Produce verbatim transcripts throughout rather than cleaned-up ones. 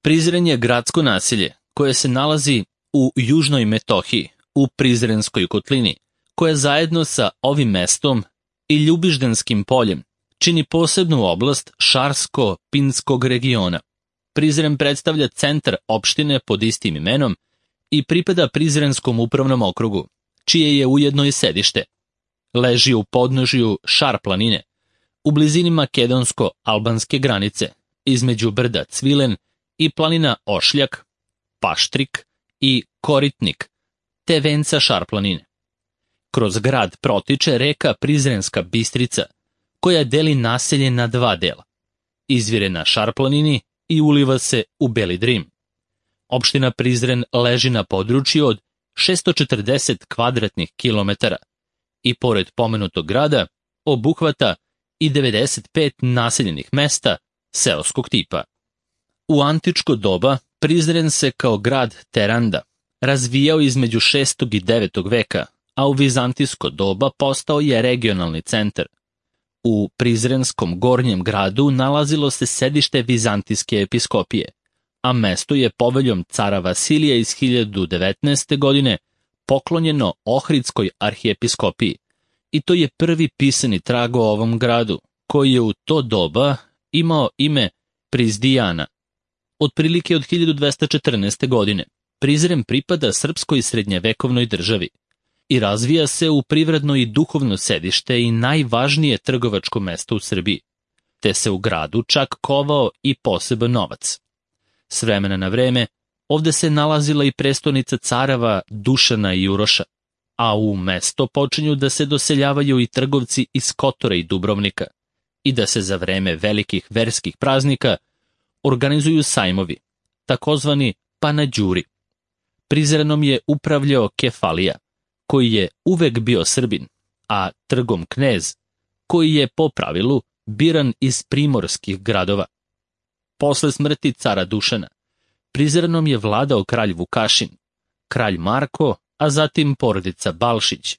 Prizren je gradsko naselje koje se nalazi u južnoj Metohiji, u Prizrenskoj kotlini, koja zajedno sa ovim mestom i Ljubiždanskim poljem čini posebnu oblast Šarsko-Pinskog regiona. Prizren predstavlja centar opštine pod istim imenom i pripada Prizrenskom upravnom okrugu, čije je ujedno i sedište. Leži u podnožju Šar planine, u blizini makedonsko-albanske granice, između brda Cvilen i planina Ošljak, Paštrik i Koritnik, te venca Šar planine. Kroz grad protiče reka Prizrenska Bistrica, koja deli naselje na dva dela. Izvire na Šar planini i uliva se u Beli Drim. Opština Prizren leži na području od šessto četrdeset kvadratnih kilometara i pored pomenutog grada obuhvata i devedeset pet naseljenih mesta seoskog tipa. U antičko doba Prizren se kao grad Teranda razvijao između šestog i devetog veka, a u vizantijsko doba postao je regionalni centar. U Prizrenskom gornjem gradu nalazilo se sedište vizantijske episkopije, a mesto je poveljom cara Vasilija iz hiljadu devetnaeste. godine poklonjeno Ohridskoj arhiepiskopiji, i to je prvi pisani trag o ovom gradu, koji je u to doba imao ime Prizdijana. Otprilike od hiljadu dvesta četrnaeste. godine Prizren pripada srpskoj srednjevekovnoj državi i razvija se u privredno i duhovno sedište i najvažnije trgovačko mesto u Srbiji, te se u gradu čak kovao i poseban novac. S vremena na vreme ovde se nalazila i prestonica careva Dušana i Uroša, a u mesto počinju da se doseljavaju i trgovci iz Kotora i Dubrovnika i da se za vreme velikih verskih praznika organizuju sajmovi, takozvani panađuri. Prizrenom je upravljao Kefalija, koji je uvek bio Srbin, a trgom Knez, koji je po pravilu biran iz primorskih gradova. Posle smrti cara Dušana, Prizrenom je vladao kralj Vukašin, kralj Marko, a zatim porodica Balšić.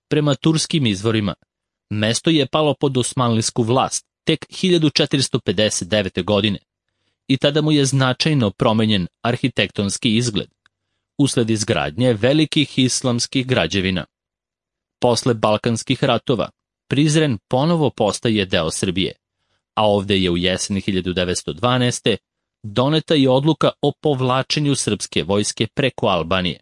Prema turskim izvorima, mesto je palo pod osmanlijsku vlast tek hiljadu četiristo pedeset devete. godine i tada mu je značajno promenjen arhitektonski izgled, usled izgradnje velikih islamskih građevina. Posle Balkanskih ratova, Prizren ponovo postaje deo Srbije, a ovde je u jeseni hiljadu devetsto dvanaeste. doneta i odluka o povlačenju srpske vojske preko Albanije.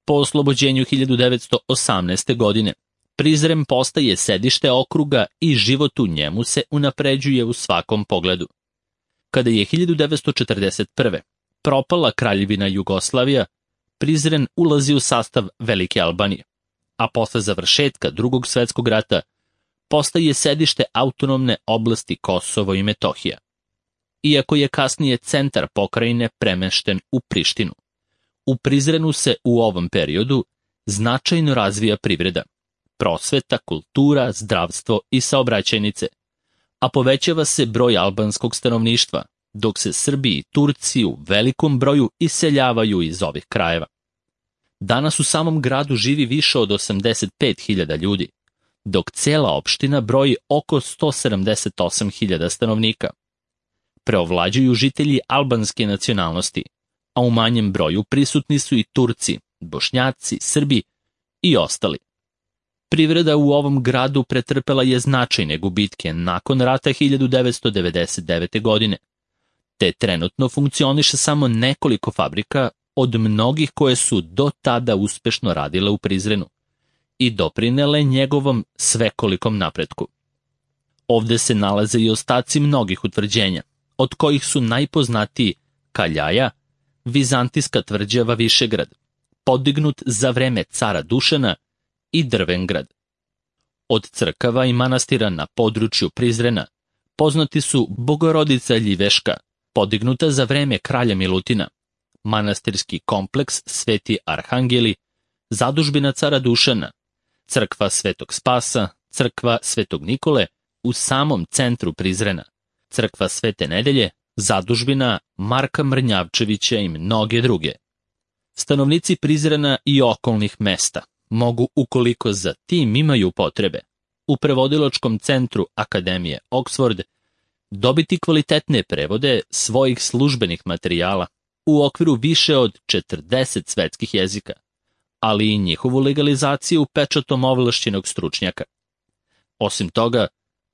Po oslobođenju hiljadu devetsto osamnaeste. godine, Prizren postaje sedište okruga i život u njemu se unapređuje u svakom pogledu. Kada je hiljadu devetsto četrdeset prve. propala kraljevina Jugoslavija, Prizren ulazi u sastav Velike Albanije, a posle završetka Drugog svetskog rata postaje sedište autonomne oblasti Kosovo i Metohija. Iako je kasnije centar pokrajine premešten u Prištinu, u Prizrenu se u ovom periodu značajno razvija privreda, prosveta, kultura, zdravstvo i saobraćajnice, a povećava se broj albanskog stanovništva, dok se Srbi i Turci u velikom broju iseljavaju iz ovih krajeva. Danas u samom gradu živi više od osamdeset pet hiljada ljudi, dok cela opština broji oko sto sedamdeset osam hiljada stanovnika. Preovlađuju žitelji albanske nacionalnosti, a u manjem broju prisutni su i Turci, Bošnjaci, Srbi i ostali. Privreda u ovom gradu pretrpela je značajne gubitke nakon rata hiljadu devetsto devedeset devete. godine, te trenutno funkcioniše samo nekoliko fabrika od mnogih koje su do tada uspešno radile u Prizrenu i doprinele njegovom svekolikom napretku. Ovde se nalaze i ostaci mnogih utvrđenja, od kojih su najpoznatiji Kaljaja, vizantijska tvrđava Višegrad, podignut za vreme cara Dušana, i Drvengrad. Od crkava i manastira na području Prizrena poznati su Bogorodica Ljiveška, podignuta za vreme kralja Milutina, manastirski kompleks Sveti Arhangeli, zadužbina cara Dušana, crkva Svetog Spasa, crkva Svetog Nikole u samom centru Prizrena, crkva Svete Nedelje, zadužbina Marka Mrnjavčevića i mnoge druge. Stanovnici Prizrena i okolnih mesta mogu, ukoliko za tim imaju potrebe, u prevodilačkom centru Akademije Oxford dobiti kvalitetne prevode svojih službenih materijala u okviru više od četrdeset svetskih jezika, ali i njihovu legalizaciju pečatom ovlašćenog stručnjaka. Osim toga,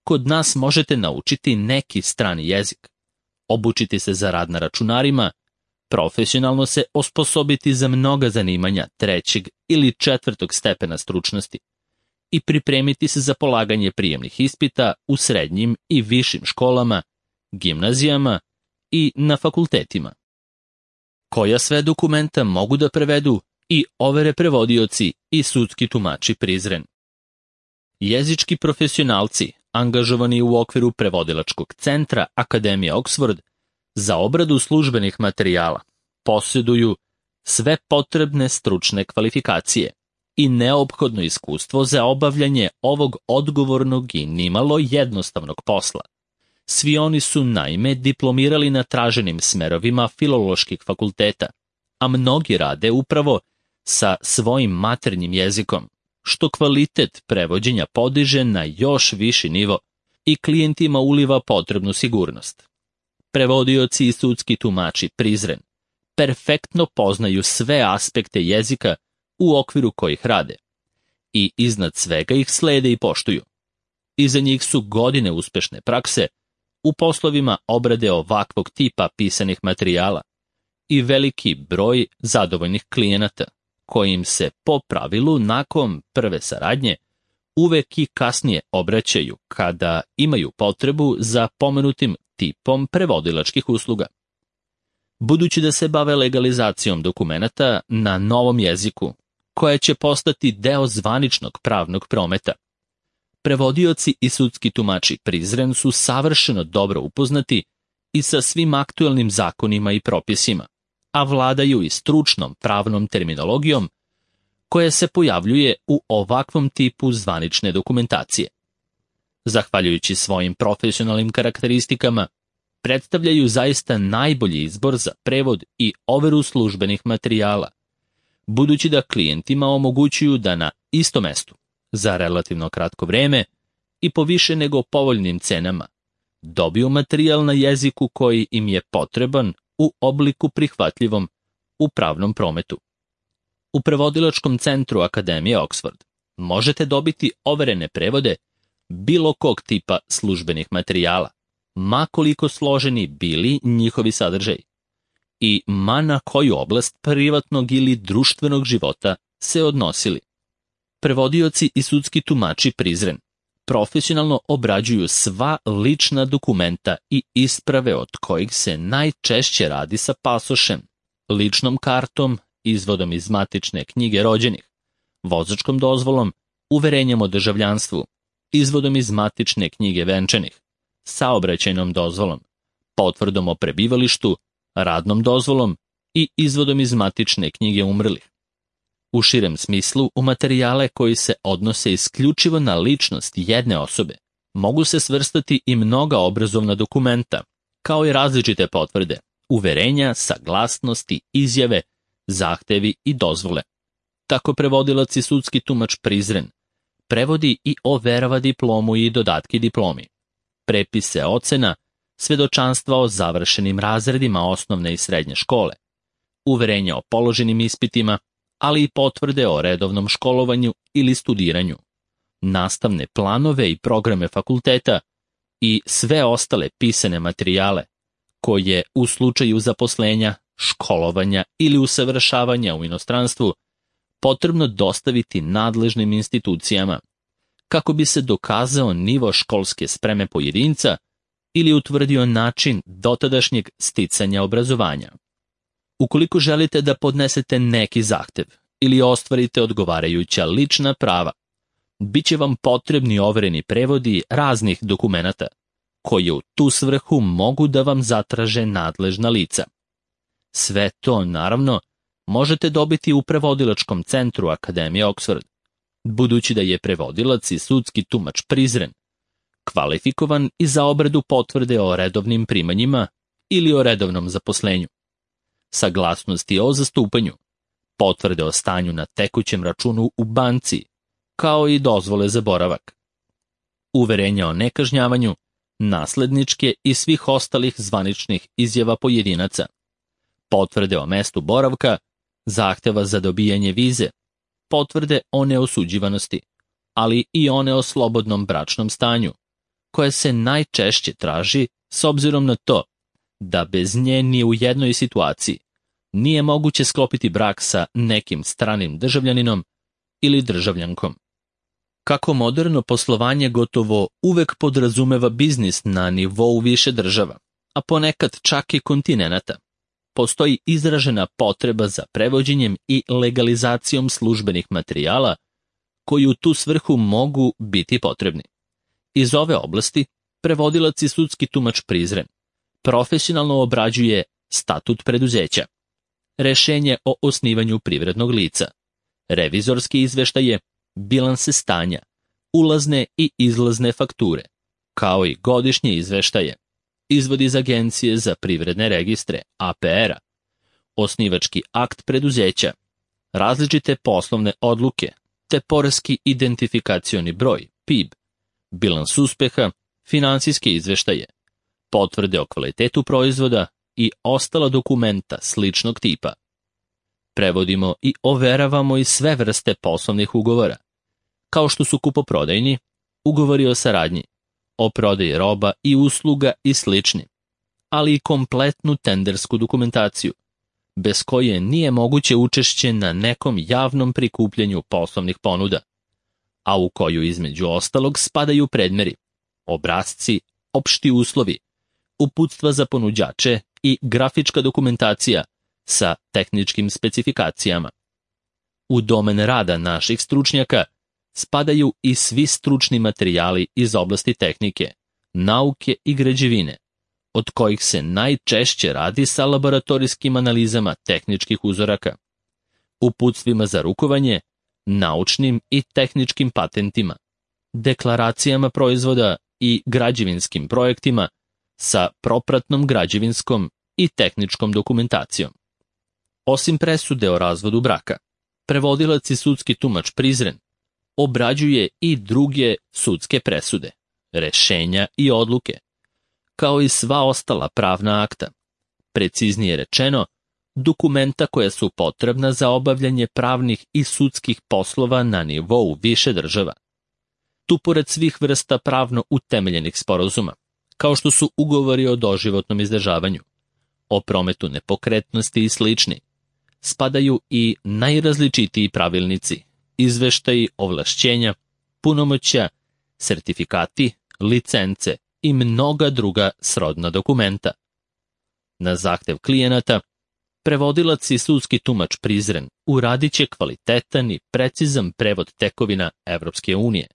kod nas možete naučiti neki strani jezik, obučiti se za rad na računarima, profesionalno se osposobiti za mnoga zanimanja trećeg ili četvrtog stepena stručnosti i pripremiti se za polaganje prijemnih ispita u srednjim i višim školama, gimnazijama i na fakultetima. Koja sve dokumenta mogu da prevedu i overe prevodioci i sudski tumači Prizren? Jezički profesionalci, angažovani u okviru prevodilačkog centra Akademije Oxford za obradu službenih materijala, posjeduju sve potrebne stručne kvalifikacije i neophodno iskustvo za obavljanje ovog odgovornog i nimalo jednostavnog posla. Svi oni su naime diplomirali na traženim smerovima filoloških fakulteta, a mnogi rade upravo sa svojim maternjim jezikom, što kvalitet prevođenja podiže na još viši nivo i klijentima uliva potrebnu sigurnost. Prevodioci i sudski tumači Prizren perfektno poznaju sve aspekte jezika u okviru kojih rade i iznad svega ih slede i poštuju. Iza njih su godine uspešne prakse u poslovima obrade ovakvog tipa pisanih materijala i veliki broj zadovoljnih klijenata, kojim se po pravilu nakon prve saradnje uvek i kasnije obraćaju kada imaju potrebu za pomenutim tipom prevodilačkih usluga. Budući da se bave legalizacijom dokumenata na novom jeziku, koja će postati deo zvaničnog pravnog prometa, prevodioci i sudski tumači Prizren su savršeno dobro upoznati i sa svim aktuelnim zakonima i propisima, a vladaju i stručnom pravnom terminologijom koja se pojavljuje u ovakvom tipu zvanične dokumentacije. Zahvaljujući svojim profesionalnim karakteristikama, predstavljaju zaista najbolji izbor za prevod i overu službenih materijala, budući da klijentima omogućuju da na istom mestu, za relativno kratko vreme i po više nego povoljnim cenama, dobiju materijal na jeziku koji im je potreban u obliku prihvatljivom u pravnom prometu. U prevodilačkom centru Akademije Oxford možete dobiti overene prevode bilo kog tipa službenih materijala, ma koliko složeni bili njihovi sadržaji i ma na koju oblast privatnog ili društvenog života se odnosili. Prevodioci i sudski tumači Prizren profesionalno obrađuju sva lična dokumenta i isprave od kojih se najčešće radi sa pasošem, ličnom kartom, izvodom iz matične knjige rođenih, vozačkom dozvolom, uverenjem o državljanstvu, izvodom iz matične knjige venčanih, saobraćajnom dozvolom, potvrdom o prebivalištu, radnom dozvolom i izvodom iz matične knjige umrlih. U širem smislu, u materijale koji se odnose isključivo na ličnost jedne osobe, mogu se svrstati i mnoga obrazovna dokumenta, kao i različite potvrde, uverenja, saglasnosti, izjave, zahtevi i dozvole. Tako prevodilac i sudski tumač Prizren prevodi i overava diplomu i dodatke diplomi, prepise ocena, svedočanstva o završenim razredima osnovne i srednje škole, uverenja o položenim ispitima, ali i potvrde o redovnom školovanju ili studiranju, nastavne planove i programe fakulteta i sve ostale pisane materijale koje u slučaju zaposlenja, školovanja ili usavršavanja u inostranstvu potrebno dostaviti nadležnim institucijama kako bi se dokazao nivo školske spreme pojedinca ili utvrdio način dotadašnjeg sticanja obrazovanja. Ukoliko želite da podnesete neki zahtev ili ostvarite odgovarajuća lična prava, bit će vam potrebni overeni prevodi raznih dokumenata, koje u tu svrhu mogu da vam zatraže nadležna lica. Sve to, naravno, možete dobiti u prevodilačkom centru Akademije Oxford, budući da je prevodilac i sudski tumač Prizren kvalifikovan i za obradu potvrde o redovnim primanjima ili o redovnom zaposlenju, saglasnosti o zastupanju, potvrde o stanju na tekućem računu u banci, kao i dozvole za boravak, uverenja o nekažnjavanju, nasledničke i svih ostalih zvaničnih izjava pojedinaca, potvrde o mestu boravka, zahteva za dobijanje vize, potvrde o neosuđivanosti, ali i one o slobodnom bračnom stanju, koje se najčešće traži s obzirom na to da bez nje ni u jednoj situaciji nije moguće sklopiti brak sa nekim stranim državljaninom ili državljankom. Kako moderno poslovanje gotovo uvek podrazumeva biznis na nivou više država, a ponekad čak i kontinenata, postoji izražena potreba za prevođenjem i legalizacijom službenih materijala koji u tu svrhu mogu biti potrebni. Iz ove oblasti prevodilac i sudski tumač Prizren profesionalno obrađuje statut preduzeća, rešenje o osnivanju privrednog lica, revizorski izveštaje, bilanse stanja, ulazne i izlazne fakture, kao i godišnje izveštaje, izvod iz Agencije za privredne registre A P R-a, osnivački akt preduzeća, različite poslovne odluke, te poreski identifikacioni broj, P I B, bilans uspeha, finansijske izveštaje, potvrde o kvalitetu proizvoda i ostala dokumenta sličnog tipa. Prevodimo i overavamo i sve vrste poslovnih ugovora, kao što su kupoprodajni, ugovori o saradnji, o prodaji roba i usluga i slični, ali i kompletnu tendersku dokumentaciju, bez koje nije moguće učešće na nekom javnom prikupljanju poslovnih ponuda, a u koju između ostalog spadaju predmeri, obrasci, opšti uslovi, uputstva za ponuđače i grafička dokumentacija sa tehničkim specifikacijama. U domen rada naših stručnjaka spadaju i svi stručni materijali iz oblasti tehnike, nauke i građevine, od kojih se najčešće radi sa laboratorijskim analizama tehničkih uzoraka, uputstvima za rukovanje, naučnim i tehničkim patentima, deklaracijama proizvoda i građevinskim projektima sa propratnom građevinskom i tehničkom dokumentacijom. Osim presude o razvodu braka, prevodilac i sudski tumač Prizren obrađuje i druge sudske presude, rešenja i odluke, kao i sva ostala pravna akta, preciznije rečeno, dokumenta koja su potrebna za obavljanje pravnih i sudskih poslova na nivou više država. Tu pored svih vrsta pravno utemeljenih sporazuma, kao što su ugovori o doživotnom izdržavanju, o prometu nepokretnosti i slični, spadaju i najrazličitiji pravilnici, izveštaji, ovlašćenja, punomoćja, sertifikati, licence i mnoga druga srodna dokumenta. Na zahtev klijenata, prevodilac i sudski tumač Prizren uradit će kvalitetan i precizan prevod tekovina Evropske unije,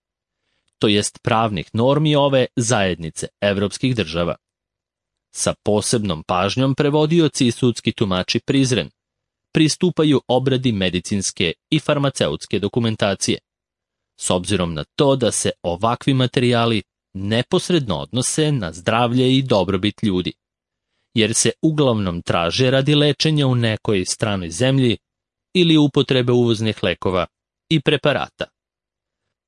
to jest pravnih normi ove zajednice evropskih država. Sa posebnom pažnjom prevodioci i sudski tumači Prizren pristupaju obradi medicinske i farmaceutske dokumentacije, s obzirom na to da se ovakvi materijali neposredno odnose na zdravlje i dobrobit ljudi, jer se uglavnom traže radi lečenja u nekoj stranoj zemlji ili upotrebe uvoznih lekova i preparata.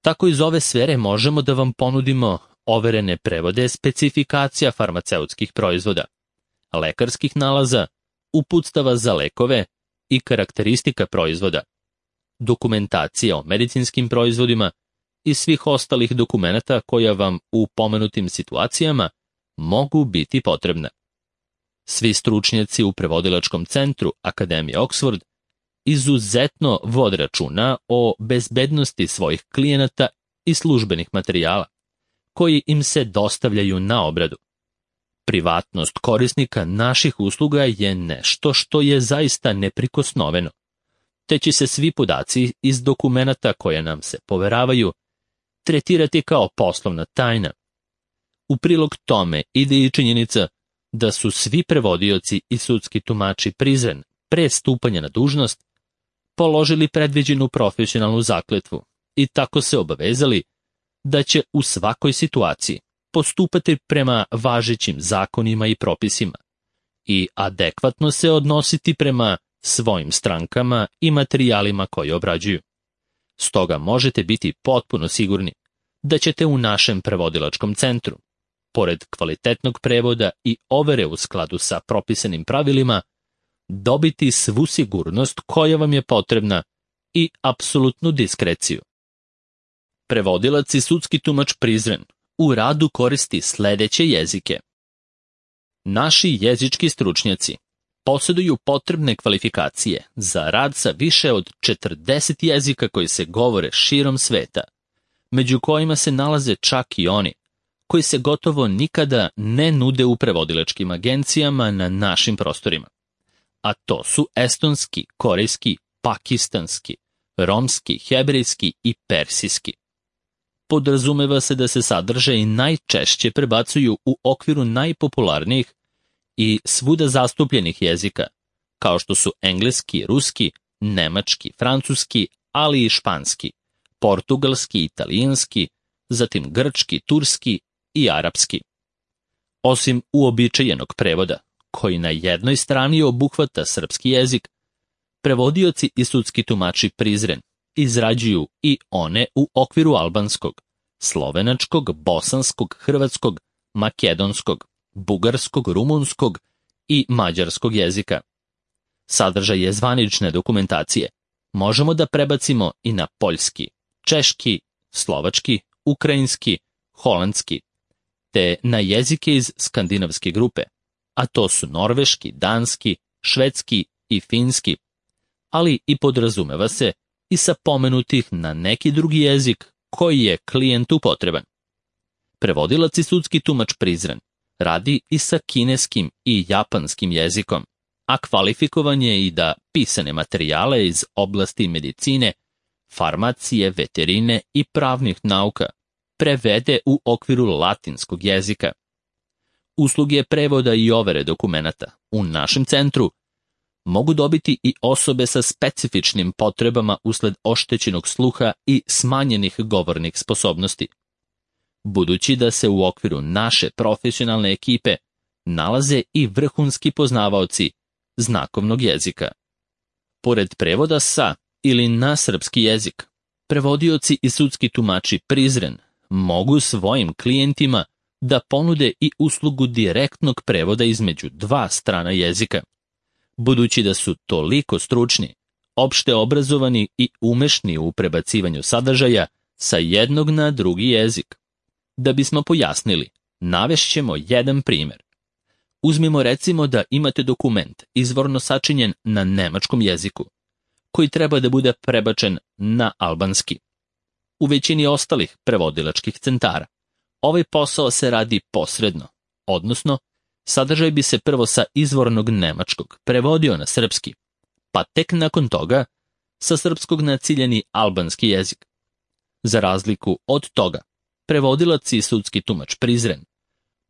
Tako iz ove sfere možemo da vam ponudimo overene prevode specifikacija farmaceutskih proizvoda, lekarskih nalaza, uputstava za lekove i karakteristika proizvoda, dokumentacija o medicinskim proizvodima i svih ostalih dokumenata koja vam u pomenutim situacijama mogu biti potrebna. Svi stručnjaci u prevodilačkom centru Akademije Oxford izuzetno vode računa o bezbednosti svojih klijenata i službenih materijala, koji im se dostavljaju na obradu. Privatnost korisnika naših usluga je nešto što je zaista neprikosnoveno, te će se svi podaci iz dokumenata koje nam se poveravaju tretirati kao poslovna tajna. U prilog tome ide i činjenica da su svi prevodioci i sudski tumači Prizren pre stupanja na dužnost položili predviđenu profesionalnu zakletvu i tako se obavezali da će u svakoj situaciji postupati prema važećim zakonima i propisima i adekvatno se odnositi prema svojim strankama i materijalima koje obrađuju. Stoga možete biti potpuno sigurni da ćete u našem prevodilačkom centru pored kvalitetnog prevoda i overe u skladu sa propisanim pravilima, dobiti svu sigurnost koja vam je potrebna i apsolutnu diskreciju. Prevodilac i sudski tumač Prizren u radu koristi sledeće jezike. Naši jezički stručnjaci posjeduju potrebne kvalifikacije za rad sa više od četrdeset jezika koji se govore širom sveta, među kojima se nalaze čak i oni koji se gotovo nikada ne nude u prevodilačkim agencijama na našim prostorima. A to su estonski, korejski, pakistanski, romski, hebrejski i persijski. Podrazumeva se da se sadržaji najčešće prebacuju u okviru najpopularnijih i svuda zastupljenih jezika, kao što su engleski, ruski, nemački, francuski, ali i španski, portugalski, italijanski, zatim grčki, turski i arapski. Osim uobičajenog prevoda, koji na jednoj strani obuhvata srpski jezik, prevodioci i sudski tumači Prizren izrađuju i one u okviru albanskog, slovenačkog, bosanskog, hrvatskog, makedonskog, bugarskog, rumunskog i mađarskog jezika. Sadržaj je zvanične dokumentacije. Možemo da prebacimo i na poljski, češki, slovački, ukrajinski, holandski, te na jezike iz skandinavske grupe, a to su norveški, danski, švedski i finski, ali i podrazumeva se i sa pomenutih na neki drugi jezik koji je klijentu potreban. Prevodilac i sudski tumač Prizren radi i sa kineskim i japanskim jezikom, a kvalifikovan je i da pisane materijale iz oblasti medicine, farmacije, veterine i pravnih nauka prevede u okviru latinskog jezika. Usluge prevoda i overe dokumenata u našem centru mogu dobiti i osobe sa specifičnim potrebama usled oštećenog sluha i smanjenih govornih sposobnosti. Budući da se u okviru naše profesionalne ekipe nalaze i vrhunski poznavaoci znakovnog jezika. Pored prevoda sa ili na srpski jezik, prevodioci i sudski tumači Prizren mogu svojim klijentima da ponude i uslugu direktnog prevoda između dva strana jezika. Budući da su toliko stručni, opšte obrazovani i umešni u prebacivanju sadržaja sa jednog na drugi jezik. Da bismo pojasnili, navešćemo jedan primjer. Uzmimo recimo da imate dokument izvorno sačinjen na nemačkom jeziku, koji treba da bude prebačen na albanski. U većini ostalih prevodilačkih centara ovaj posao se radi posredno, odnosno sadržaj bi se prvo sa izvornog nemačkog prevodio na srpski, pa tek nakon toga sa srpskog na ciljani albanski jezik. Za razliku od toga, prevodilac i sudski tumač Prizren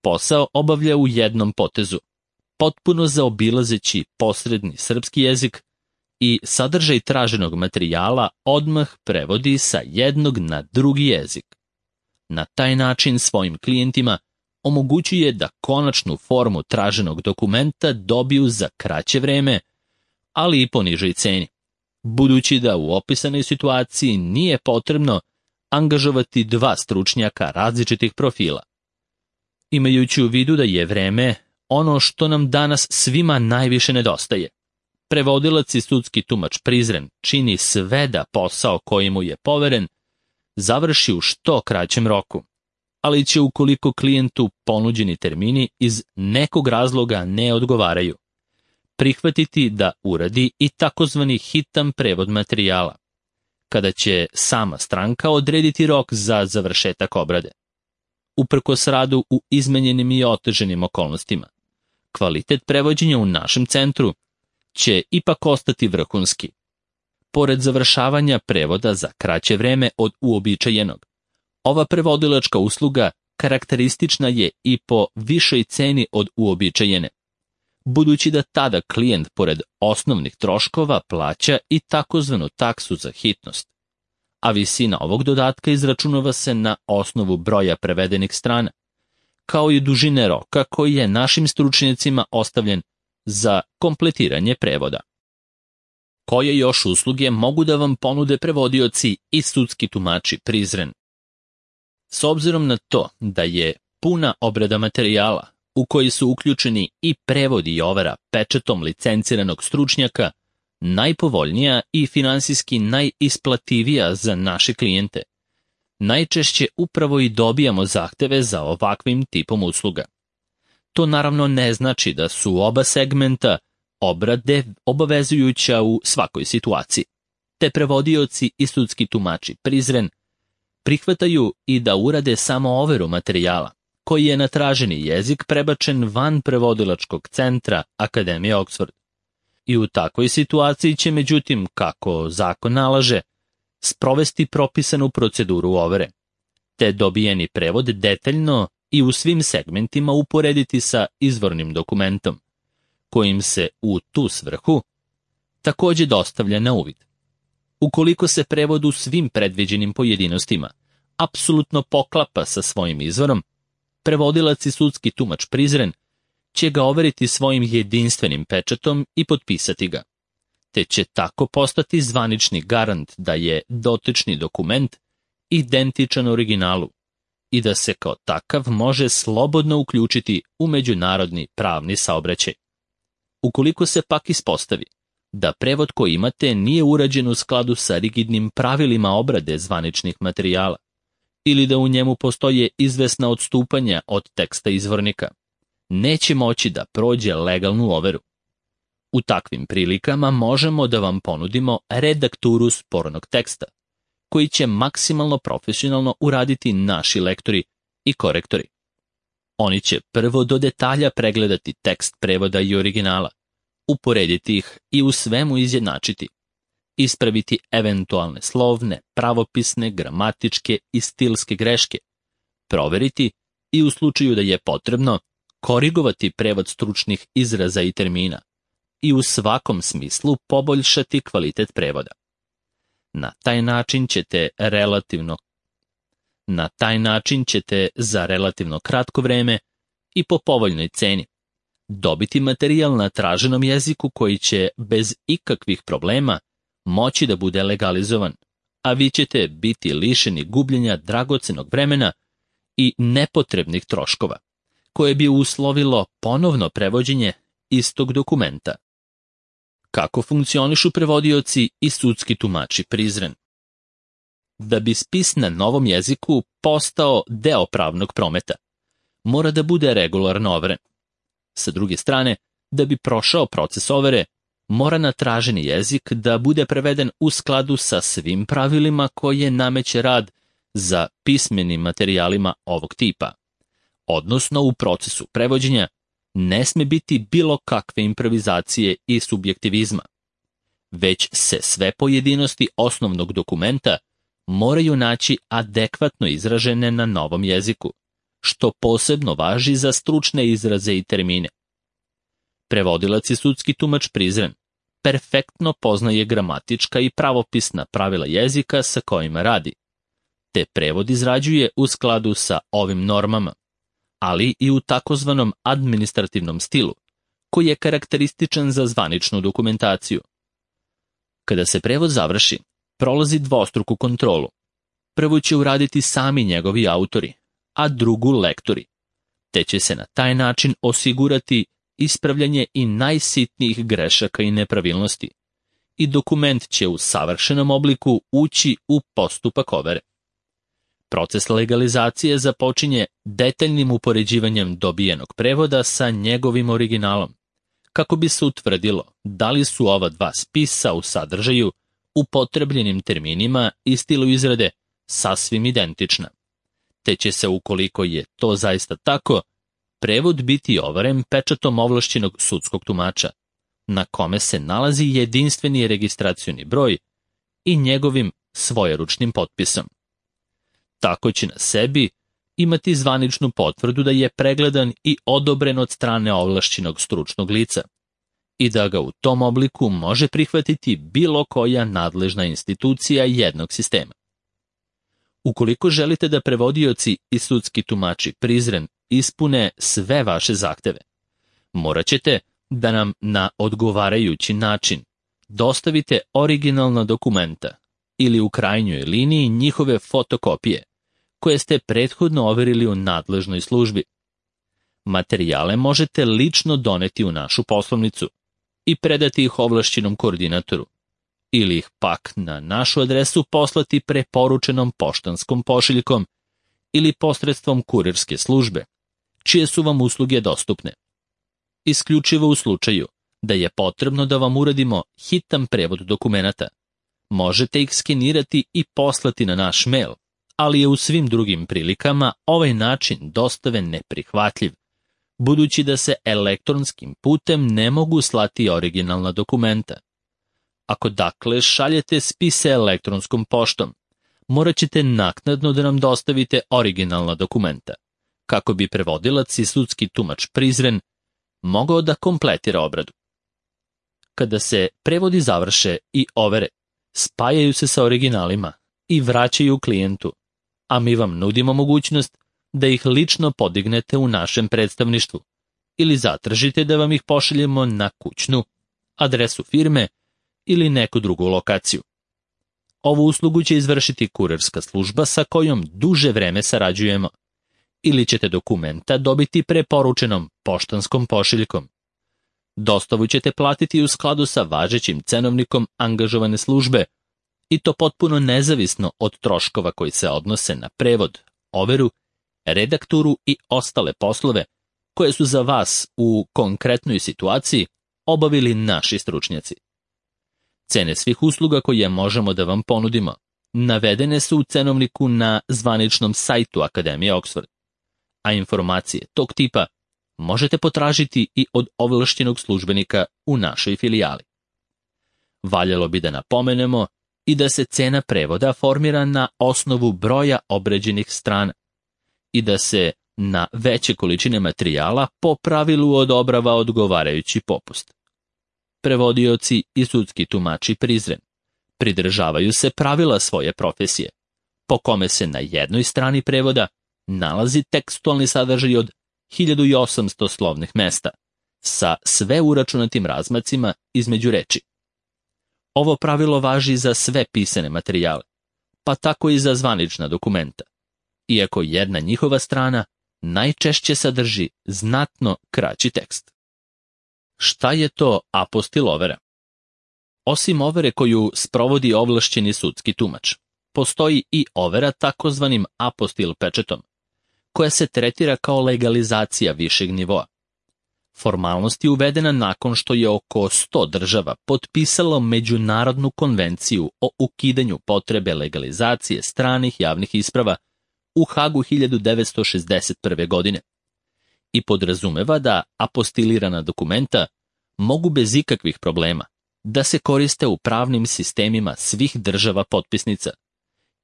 posao obavlja u jednom potezu, potpuno zaobilazeći posredni srpski jezik i sadržaj traženog materijala odmah prevodi sa jednog na drugi jezik. Na taj način svojim klijentima omogućuje da konačnu formu traženog dokumenta dobiju za kraće vreme, ali i po nižoj ceni, budući da u opisanoj situaciji nije potrebno angažovati dva stručnjaka različitih profila. Imajući u vidu da je vreme ono što nam danas svima najviše nedostaje, prevodilac i sudski tumač Prizren čini sve da posao koji mu je poveren završi u što kraćem roku, ali će ukoliko klijentu ponuđeni termini iz nekog razloga ne odgovaraju, prihvatiti da uradi i takozvani hitan prevod materijala, kada će sama stranka odrediti rok za završetak obrade. Uprkos radu u izmenjenim i oteženim okolnostima, kvalitet prevođenja u našem centru će ipak ostati vrhunski. Pored završavanja prevoda za kraće vreme od uobičajenog, ova prevodilačka usluga karakteristična je i po višoj ceni od uobičajene, budući da tada klijent pored osnovnih troškova plaća i takozvanu taksu za hitnost, a visina ovog dodatka izračunava se na osnovu broja prevedenih strana, kao i dužine roka koji je našim stručnjacima ostavljen za kompletiranje prevoda. Koje još usluge mogu da vam ponude prevodioci i sudski tumači Prizren? S obzirom na to da je puna obrada materijala, u koji su uključeni i prevod i overa pečatom licenciranog stručnjaka, najpovoljnija i finansijski najisplativija za naše klijente. Najčešće upravo i dobijamo zahteve za ovakvim tipom usluga. To naravno ne znači da su oba segmenta obrade obavezujuća u svakoj situaciji, te prevodioci i sudski tumači Prizren prihvataju i da urade samo overu materijala, koji je na traženi jezik prebačen van prevodilačkog centra Akademije Oxford. I u takvoj situaciji će, međutim, kako zakon nalaže, sprovesti propisanu proceduru overe, te dobijeni prevod detaljno i u svim segmentima uporediti sa izvornim dokumentom, kojim se u tu svrhu takođe dostavlja na uvid. Ukoliko se prevod u svim predviđenim pojedinostima apsolutno poklapa sa svojim izvorom, prevodilac i sudski tumač Prizren će ga overiti svojim jedinstvenim pečatom i potpisati ga, te će tako postati zvanični garant da je dotični dokument identičan originalu i da se kao takav može slobodno uključiti u međunarodni pravni saobraćaj. Ukoliko se pak ispostavi da prevod koji imate nije urađen u skladu sa rigidnim pravilima obrade zvaničnih materijala ili da u njemu postoje izvesna odstupanja od teksta izvornika, neće moći da prođe legalnu overu. U takvim prilikama možemo da vam ponudimo redakturu spornog teksta, koji će maksimalno profesionalno uraditi naši lektori i korektori. Oni će prvo do detalja pregledati tekst prevoda i originala, uporediti ih i u svemu izjednačiti, ispraviti eventualne slovne, pravopisne, gramatičke i stilske greške, proveriti i u slučaju da je potrebno korigovati prevod stručnih izraza i termina i u svakom smislu poboljšati kvalitet prevoda. Na taj način ćete relativno Na taj način ćete za relativno kratko vreme i po povoljnoj ceni dobiti materijal na traženom jeziku koji će bez ikakvih problema moći da bude legalizovan, a vi ćete biti lišeni gubljenja dragocenog vremena i nepotrebnih troškova, koje bi uslovilo ponovno prevođenje istog dokumenta. Kako funkcionišu prevodioci i sudski tumači Prizren? Da bi spis na novom jeziku postao deo pravnog prometa, mora da bude regularno overen. Sa druge strane, da bi prošao proces overe, mora na traženi jezik da bude preveden u skladu sa svim pravilima koje nameće rad za pismenim materijalima ovog tipa. Odnosno, u procesu prevođenja ne sme biti bilo kakve improvizacije i subjektivizma, već se sve pojedinosti osnovnog dokumenta moraju naći adekvatno izražene na novom jeziku, što posebno važi za stručne izraze i termine. Prevodilac i sudski tumač Prizren perfektno poznaje gramatička i pravopisna pravila jezika sa kojima radi, te prevod izrađuje u skladu sa ovim normama, ali i u takozvanom administrativnom stilu, koji je karakterističan za zvaničnu dokumentaciju. Kada se prevod završi, prolazi dvostruku kontrolu. Prvo će uraditi sami njegovi autori, a drugu lektori, te će se na taj način osigurati ispravljanje i najsitnijih grešaka i nepravilnosti, i dokument će u savršenom obliku ući u postupak overe. Proces legalizacije započinje detaljnim upoređivanjem dobijenog prevoda sa njegovim originalom, kako bi se utvrdilo da li su ova dva spisa u sadržaju, upotrebljenim terminima i stilu izrade sasvim identična, te će se, ukoliko je to zaista tako, prevod biti overen pečatom ovlašćenog sudskog tumača, na kome se nalazi jedinstveni registracioni broj i njegovim svojeručnim potpisom. Tako će na sebi imati zvaničnu potvrdu da je pregledan i odobren od strane ovlašćenog stručnog lica i da ga u tom obliku može prihvatiti bilo koja nadležna institucija jednog sistema. Ukoliko želite da prevodioci i sudski tumači Prizren ispune sve vaše zahteve, morat ćete da nam na odgovarajući način dostavite originalna dokumenta ili u krajnjoj liniji njihove fotokopije, koje ste prethodno overili u nadležnoj službi. Materijale možete lično doneti u našu poslovnicu i predati ih ovlašćenom koordinatoru, ili ih pak na našu adresu poslati preporučenom poštanskom pošiljkom ili posredstvom kurirske službe, čije su vam usluge dostupne. Isključivo u slučaju da je potrebno da vam uradimo hitan prevod dokumenata, možete ih skenirati i poslati na naš mail, ali je u svim drugim prilikama ovaj način dostave neprihvatljiv, budući da se elektronskim putem ne mogu slati originalna dokumenta. Ako dakle šaljete spise elektronskom poštom, morat ćete naknadno da nam dostavite originalna dokumenta, kako bi prevodilac i sudski tumač Prizren mogao da kompletira obradu. Kada se prevodi završe i overe, spajaju se sa originalima i vraćaju klijentu, a mi vam nudimo mogućnost da ih lično podignete u našem predstavništvu ili zatražite da vam ih pošaljemo na kućnu, adresu firme ili neku drugu lokaciju. Ovu uslugu će izvršiti kurirska služba sa kojom duže vreme sarađujemo, ili ćete dokumenta dobiti preporučenom poštanskom pošiljkom. Dostavu ćete platiti u skladu sa važećim cenovnikom angažovane službe, i to potpuno nezavisno od troškova koji se odnose na prevod, overu, redakturu i ostale poslove koje su za vas u konkretnoj situaciji obavili naši stručnjaci. Cene svih usluga koje možemo da vam ponudimo navedene su u cenovniku na zvaničnom sajtu Akademije Oxford, a informacije tog tipa možete potražiti i od ovlašćenog službenika u našoj filijali. Valjalo bi da napomenemo i da se cena prevoda formira na osnovu broja obrađenih strana i da se na veće količine materijala po pravilu odobrava odgovarajući popust. Prevodioci i sudski tumači Prizren pridržavaju se pravila svoje profesije, po kome se na jednoj strani prevoda nalazi tekstualni sadržaj od hiljadu osamsto slovnih mesta, sa sve uračunatim razmacima između reči. Ovo pravilo važi za sve pisane materijale, pa tako i za zvanična dokumenta, iako jedna njihova strana najčešće sadrži znatno kraći tekst. Šta je to apostil overa? Osim overe koju sprovodi ovlašćeni sudski tumač, postoji i overa takozvanim apostil pečetom, koja se tretira kao legalizacija višeg nivoa. Formalnost je uvedena nakon što je oko sto država potpisalo Međunarodnu konvenciju o ukidanju potrebe legalizacije stranih javnih isprava u Hagu hiljadu devetsto šezdeset prve. godine i podrazumeva da apostilirana dokumenta mogu bez ikakvih problema da se koriste u pravnim sistemima svih država potpisnica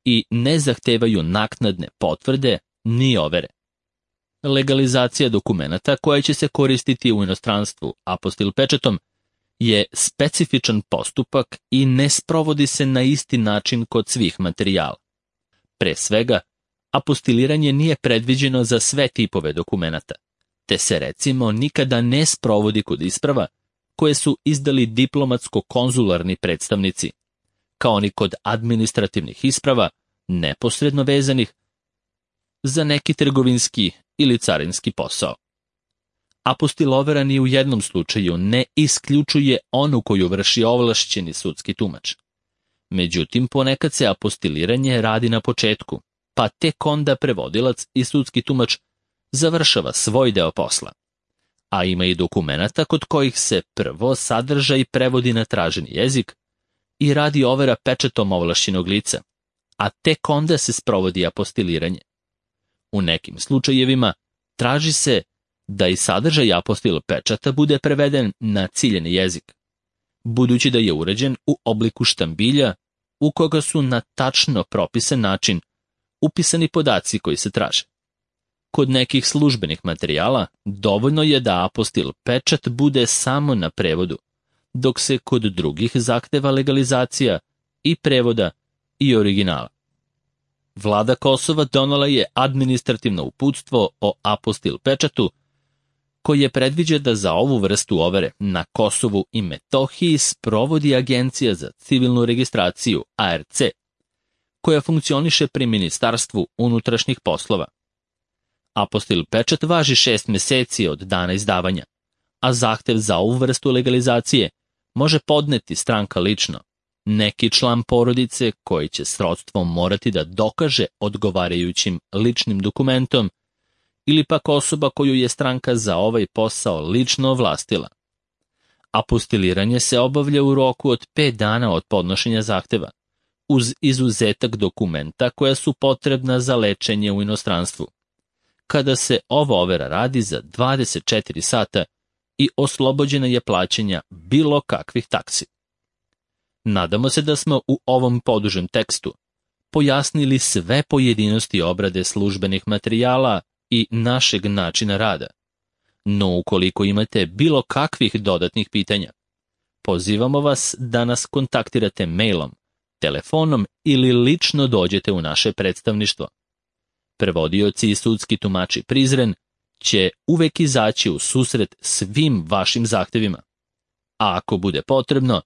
i ne zahtevaju naknadne potvrde ni overe. Legalizacija dokumenata koja će se koristiti u inostranstvu apostil pečetom je specifičan postupak i ne sprovodi se na isti način kod svih materijala. Pre svega, apostiliranje nije predviđeno za sve tipove dokumenata, te se recimo nikada ne sprovodi kod isprava koje su izdali diplomatsko-konzularni predstavnici, kao ni kod administrativnih isprava neposredno vezanih za neki trgovinski ili carinski posao. Apostil overa ni u jednom slučaju ne isključuje onu koju vrši ovlašćeni sudski tumač. Međutim, ponekad se apostiliranje radi na početku, pa tek onda prevodilac i sudski tumač završava svoj deo posla. A ima i dokumenata kod kojih se prvo sadržaj prevodi na traženi jezik i radi overa pečetom ovlašćenog lica, a tek onda se sprovodi apostiliranje. U nekim slučajevima traži se da i sadržaj apostil pečata bude preveden na ciljeni jezik, budući da je urađen u obliku štambilja u koga su na tačno propisan način upisani podaci koji se traže. Kod nekih službenih materijala dovoljno je da apostil pečat bude samo na prevodu, dok se kod drugih zahteva legalizacija i prevoda i originala. Vlada Kosova donela je administrativno uputstvo o apostil pečatu, koje predviđa da za ovu vrstu overe na Kosovu i Metohiji sprovodi Agencija za civilnu registraciju A R C, koja funkcioniše pri Ministarstvu unutrašnjih poslova. Apostil pečat važi šest meseci od dana izdavanja, a zahtev za ovu vrstu legalizacije može podneti stranka lično, neki član porodice koji će srodstvom morati da dokaže odgovarajućim ličnim dokumentom ili pak osoba koju je stranka za ovaj posao lično ovlastila. Apostiliranje se obavlja u roku od pet dana od podnošenja zahteva, uz izuzetak dokumenta koja su potrebna za lečenje u inostranstvu, kada se ova overa radi za dvadeset četiri sata i oslobođena je plaćanja bilo kakvih taksi. Nadamo se da smo u ovom podužem tekstu pojasnili sve pojedinosti obrade službenih materijala i našeg načina rada. No ukoliko imate bilo kakvih dodatnih pitanja, pozivamo vas da nas kontaktirate mailom, telefonom ili lično dođete u naše predstavništvo. Prevodioci i sudski tumači Prizren će uvek izaći u susret svim vašim zahtevima. A ako bude potrebno,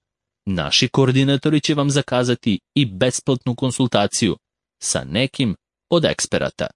naši koordinatori će vam zakazati i besplatnu konsultaciju sa nekim od eksperata.